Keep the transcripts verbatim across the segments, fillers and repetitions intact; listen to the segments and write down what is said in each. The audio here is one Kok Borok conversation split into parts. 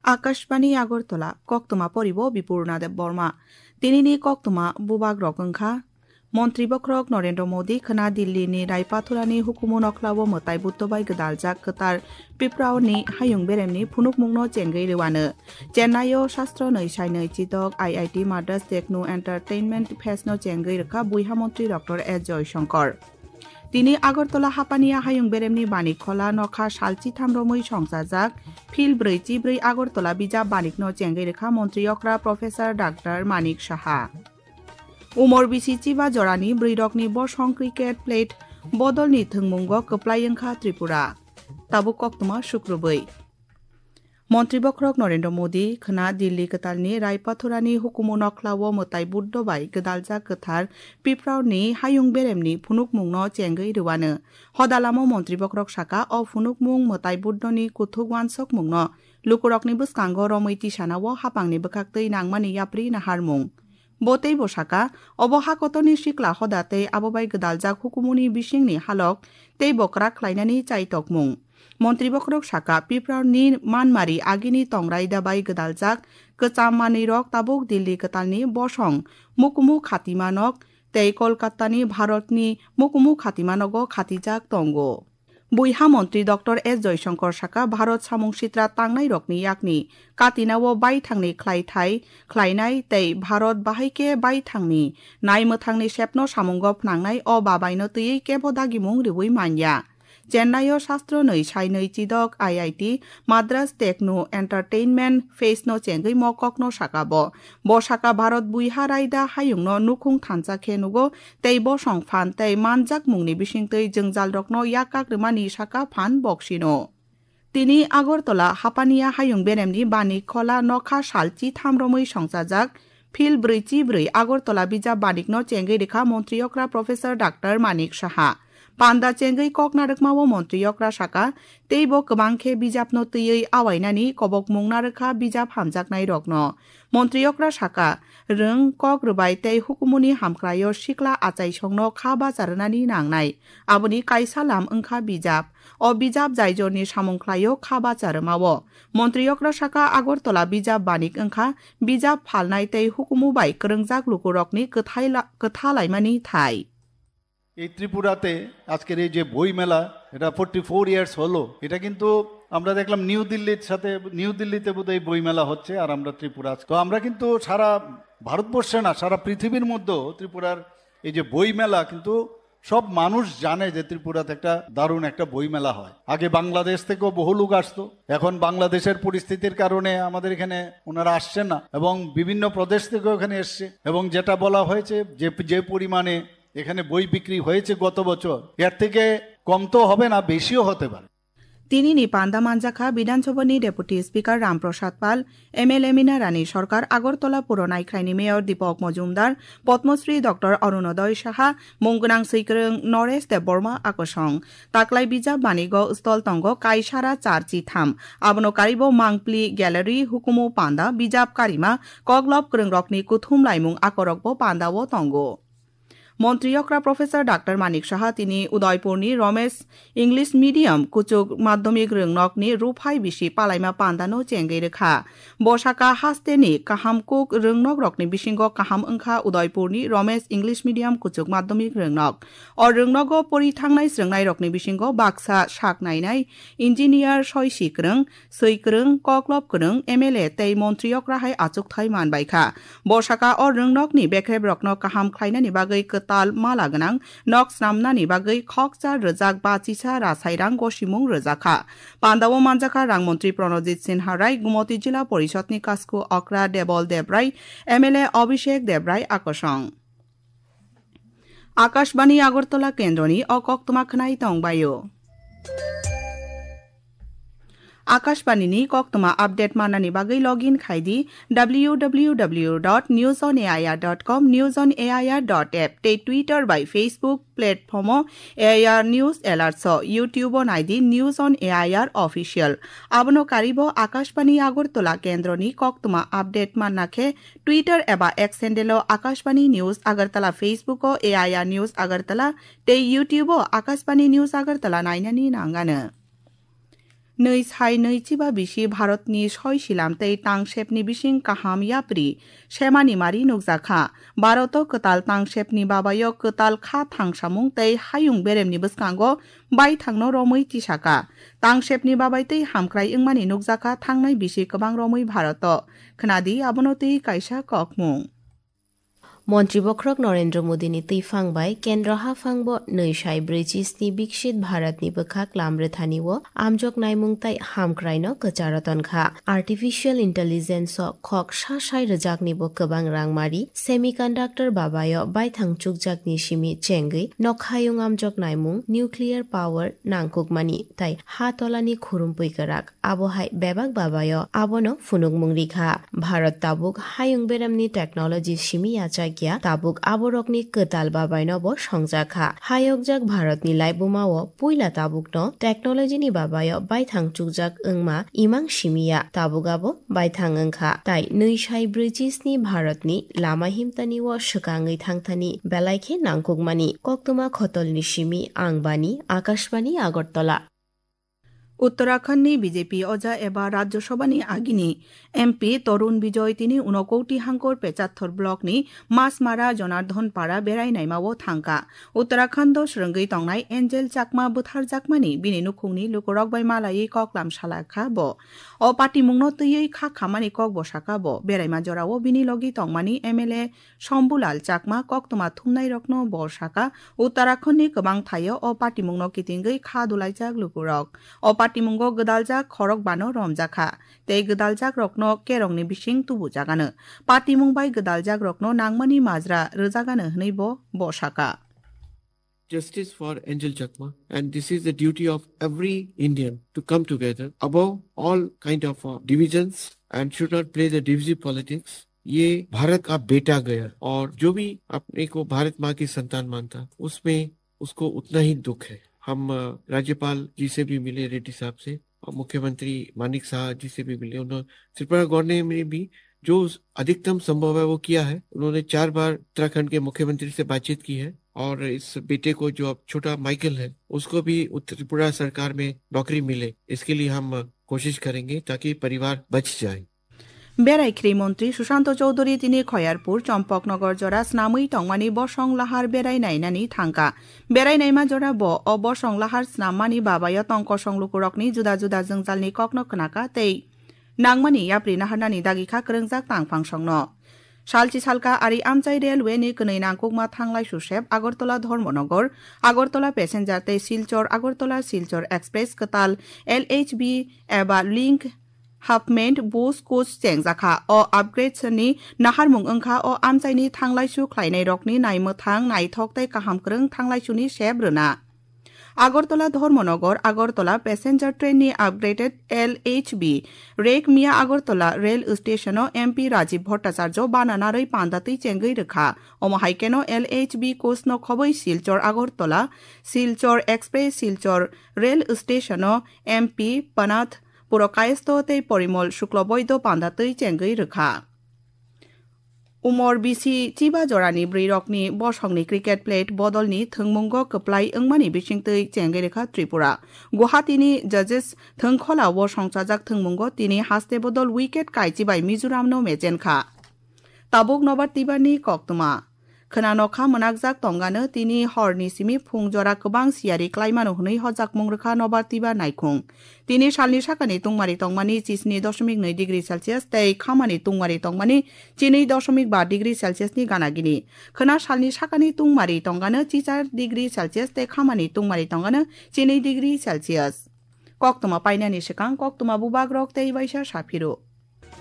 Akashbani Agartala, koktwma poribo Bipurna Debbarma. Tinini koktwma bubak rok wngkha: Montri bokhorok Narendra Modi khwna Dilli ni Raipathura ni hukumu nokhlao mwtai Buddho bai gwdaljak kwtal Piprao ni hayung berem ni phunukmung no chengwi rwano. Chennai o Shastro nwi sai nwi chidok I I T Madras Techno Entertainment Fest no chengwi rwkha buiha montri Doctor S Jaishankar. Tini Agartala hapani a hayung beremni Banik Khola nokha sal chitham romwi songchajak Phil brwi chibrwi Agartala bijap banikno chengwi rwkha montri okra Professor Doctor Manik Saha. Umor bisi chiba jorani bwrwirokni bosong cricket plate bodolni thwngmungo kwplai wngkha Tripura. Tabuk koktwma sukrubwi. Montri bokhorok Narendra Modi khwna Dilli kwtalni Raipathurani hukumu nokhlao mwtai Buddho bai gwdaljak kwthar Pipraoni hayung beremni phunukmungno chengwi rwano. Hodalamo montri bokhorok saka, o phunukmung mwtai Buddhoni kuthuk uansukmungno lukurokni bwskango romwi tisanao hapangni bwkhaktwi nangmani yapri naharmung. Bo teibo saka, obo ha kotorni sikla hoda tei abo bai gwdaljak hukumuni bisingni halok teibo kwrak khlainani chaitokmung. Montri bokhorok saka, Piprarni manmari agini tongrai da bai gwdaljak kwcham manwirok tabuk Dilli kwtalni bosong mukumu khatimanok tei Kolkatani Bharatni mukumu khatimanogo khatijak tongo. Buiha montri Doctor S Jaishankar saka, Bharat samung sitra tangnairokni yakni katinao baithangni khlaithai khlainai tei Bharat bahaikhe baithangni naimwthangni sepno samungo phnangnai o babaino twiwi kebo dagimung riui manya. Chennai o Shastro nwi sai nwi chidok I I T Madras Techno Entertainment Fest no chengwi mo kokno saka bo. Bo saka, Bharat buiha raida hayungno nukhung thansa khe nugo tei bosong phan tei manjakmungni bisingtwi jwngjalrokno yakak rwmani saka phan boksino. Tini Agartala hapania hayung beremni Banik Khola nokha sal chitham romwi songchajak Phil brwi chibrwi Agartala bijap banikno chengwi rwkha montri okra Professor Doctor Manik Saha. Panda chengwi kok narwkmao montri okra saka, teibo kwbang khe bijapno twiwi awainani kobokmung narwkha bijap hamjaknairokno. Montri okra saka, rwng, kok rwbai tei hukumuni hamkraio sikla achaisongno kha bacha rwnani nangnai. Aboni kaisa lam wngkha bijap. O bijap jaijorni samung khlaio kha bacha rwmao. Montri okra saka, Agartala bijap banik wngkha bijap phalnai tei hukumu bai kwrwngjak lukurokni kwthai la-, kwtha laimani thai. এই ত্রিপুরাতে আজকের এই যে বই মেলা, এটা forty four years হলো, এটা কিন্তু আমরা দেখলাম নিউ দিল্লির সাথে, নিউ দিল্লিতে বোধহয় এই বই মেলা হচ্ছে, আর আমরা ত্রিপুরা আছি। তো আমরা কিন্তু সারা ভারতবর্ষে না, সারা পৃথিবীর মধ্যেও ত্রিপুরার এই যে বই মেলা, কিন্তু সব মানুষ জানে যে ত্রিপুরাতে একটা দারুণ একটা বই মেলা হয়। আগে বাংলাদেশ থেকেও বহু লোক আসতো, এখন বাংলাদেশের পরিস্থিতির কারণে আমাদের এখানে ওনারা আসছেন না, এবং বিভিন্ন প্রদেশ থেকেও এখানে এসছে। এবং যেটা বলা হয়েছে যে, যে পরিমাণে এখানে বই বিক্রি হয়েছে গত বছর, এর থেকে কম তো হবে না, বেশিও হতে পারে। Tinini panda manjakha Bidhan Sabhani Deputy Speaker Ram Prasad Pal, M L A Mina Rani Sarkar, Agartala Puro Naikhraini Mayor Deepak Majumdar, Padma Shri Doctor Arunodoi Saha, mung gwnang swikwrwng Naresh Debbarma akosong. Taklai bijap banigo stall tongo kaisara char chitham. Abono karibo Mangpli Gallery, hukumu panda, bijap karima, koklop kwrwngrokni kuthum laimung akorokbo pandao tongo. Montri okra Professor Doctor Manik Saha tini Udaipurni Ramesh English Medium kuchuk madhyamik rwngnokni ruphai bisi palaima pandano chengwi rwkha. Bo saka, hasteni kaham kuk rwngnokrokni bisingo kaham wngkha Udaipurni Ramesh English Medium kuchuk madhyamik rwngnok. O rwngnogo pori thangnai swrwngnairokni bisingo baksa sak nainai, engineer soi si kwrwng, swi kwrwng, koklop kwrwng, M L A tei montri okra hai achukthai man bai kha. Bo saka, o rwngnokni bekrebrokno kaham khlainani bagwi kwtal mala gwnang nok snamnani bagwi khokcha rwjak bachisa rasairang gosimung rwjak kha. Pandao manjakha rang montri Pranojit Sinha Rai, Gumoti Jila Porishodni Kasku Okra Debol Debrai, M L A Abhishek Debrai akosong. Akashbani Agartala kendroni o koktwma khwnai tong baio. Akashbani ni koktwma update manani bagwi login khai di W W W dot news on A I R dot com, news on A I R dot app tei Twitter bai Facebook platform o A I R News Alerts o, YouTube o nai di News on A I R Official. Abono karibo Akashbani Agartala kendroni koktwma update manna khe Twitter eba X handle o Akashbani News Agartala, Facebook o A I R News Agartala tei YouTube o Akashbani News Agartala nainani nangano. Nwi sai nwi chiba bisi Bharatni soi silam tei tangsepni bising kaham yapri semani mari nukjakha. Bharat o kwtal tangsepni babayo kwtal kha thangsamung tei hayung beremni bwskango baithangno romwi tisaka. Tangsepni babai tei hamkrai wngmani nukjakha thangnai bisi kwbang romwi Bharat o. Khnadi abono twi kaisa kokmung. Montri bokhorok Narendra Modi ni twiphang bai Kendra haphang bo nwi sai brwi chisni Biksit Bharat ni bwkhak lam rwthani o amjok naimung tai hamkrai no kwcharo tonkha. Artificial Intelligence o khok sa sai rwjakni bo kwbang rangmari, semiconductor babayo baithang chukjakni simi chengwi nokhayung amjok naimung, nuclear power nangkukmani tai ha tolani khurumpui kwrak. Abo hai bebak babayo abono phunukmung rikha. Bharat tabuk hayung beremni technology simi yachakya, tabuk aborokni kwtal babaino bo songjakha. Hayokjak Bharatni laibumao puila tabukno technology ni babayo baithang chukjak wngma imang simiya, tabuk abo baithang wngkha. Tai nwi sai brwi chisni Bharatni lama himtani o swkangwi thangthani belai khe nangkukmani koktwma khotolni simi ang bani Akashbani Agartala. Uttarakhandni B J P oja eba Rajya Sabhani agini M P Tarun Bijoy tini unokoti hangkor Pecharthar blockni Masmara Jonardhan Para berai naimao thangkha. Uttarakhando swrwngwi tongnai Angel Chakma butharjakmani bini nukhungni lukurok bai malaiwi koklam salakha bo. O patimungno twiwi kha khamani kok bo saka bo. Beraima jorao bini logi tongmani M L A Shambhulal Chakma koktwma thumnairokno bo saka, Uttarakhandni kwbang thaio o patimungno kitingwi kha dulaijak lukurok. O patimungo gwdaljak khorokbano romjakha, tei gwdaljakrokno kerongni bising tubujagano. Patimung bai gwdaljakrokno nangmani majra rwjagano hwnwi bo, bo saka. Justice for Angel Chakma, and this is the duty of every Indian to come together above all kind of uh, divisions and should not play the divisive politics. ये भारत का बेटा गया और जो भी अपने को भारत माँ की संतान मानता, उसमें उसको उतना ही दुख है। हम अ, राज्यपाल जी से भी मिले, रेड्डी साहब से, और मुख्यमंत्री मानिक साहा जी से भी मिले। उन्होंने त्रिपुरा गवर्नमेंट में भी जो अधिकतम संभव है वो किया है। उन्होंने चार बार उत्तराखंड के मुख्यमंत्री से बातचीत की है और इस बेटे को, जो अब छोटा माइकल है, उसको भी उत्तर त्रिपुरा सरकार में नौकरी मिले, इसके लिए हम कोशिश करेंगे ताकि परिवार बच जाए। Berai khri montri Sushanto Chowdhury tini Khoyarpur Chompoknogor jora snamwi tongmani bosong lahar berai nainani thangkha. Berai naima jora bo o bosong lahar snammani babayo tong kosong lukurokni juda juda jwngjalni kokno khnakha tei nangmani yapri naharnani dagikha kwrwngjak tangphangsongno. Salchi salka ari amchai railway ni kwnwi nangkukma thanglai susep Agartala Dharmanagar, Agartala passenger tei Silchar Agartala Silchar express kwtal L H B eba link hapment bus coach chengjakha. O upgrade ni naharmung wngkha o amchaini thanglaisu khlainairokni naimwthang, naithok tei kaham kwrwng thanglaisuni sep rwna. Agartala Dharmanagar Agartala passenger train ni upgraded L H B rek miya Agartala rail station o M P Rajiv Bhattacharya bana narwi panda twi chengwi rwkha. Omo hai kheno L H B coach no khobwi Silchar Agartala, Silchar Express, Silchar rail station o M P Panath Purakayesto tei Porimol Shukloboido panda twi chengwi rwkha. Umor bisi chiba jorani bwrwirokni bosongni cricket plate bodolni thwngmungo kwplai wngmani bisingtwi chengwi rwkha Tripura. Guwahati ni Judges thwngkhola o songchajak thwngmungo tini haste bodol wicket kaichi bai Mizoram no mechenkha. Tabuk nobar twibarni koktwma. Khwnanokha mwnakjak tongano tini horni simi phung jora kwbang siyari klaimano hwnwi hojakmung rwkha nobar twibar naikhung. Tini salni sakani tungmari tongmani chisni dosmik nwi degree Celsius tei khamani tungmari tongmani chinwi dosmik ba degree Celsius ni gana gini. Khwna salni sakani tungmari tongano chichar degree Celsius tei khamani tungmari tongano chinwi degree Celsius. Koktwma painani swkang koktwma bubagrok tei waisa saphiro.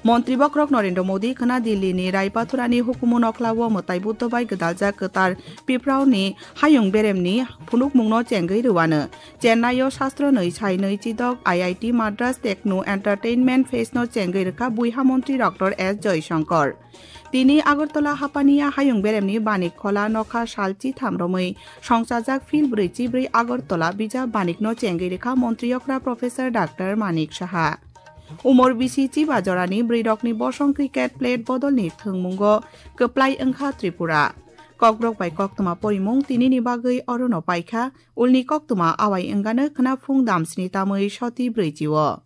Montri bokhorok Narendra Modi khwna Delhi ni Raipathura ni hukumu nokla o mwtai Buddho bai gwdaljak kwtal Piprao ni hayung berem ni phunukmung no chengwi rwano. Chennai o sastro nwi sai nwi chidok I I T Madras Techno Entertainment Fest no chengwi rwkha buiha montri Doctor S Jaishankar. Tini Agartala hapaniya hayung berem ni Banik Khola nokha sal chitham romwi songchajak phil brwi chibrwi Agartala bijap banik no chengwi rwkha montri okra Professor Doctor Manik Saha. Umor bisi chiba jorani bwrwirokni bosong cricket plate bodolni thwngmungo kwplai wngkha Tripura. Kokborok bai koktwma porimung tinini bagwi orono paikha, ulni koktwma awai wngano khwna phung damsni tamwi soti brwichi o.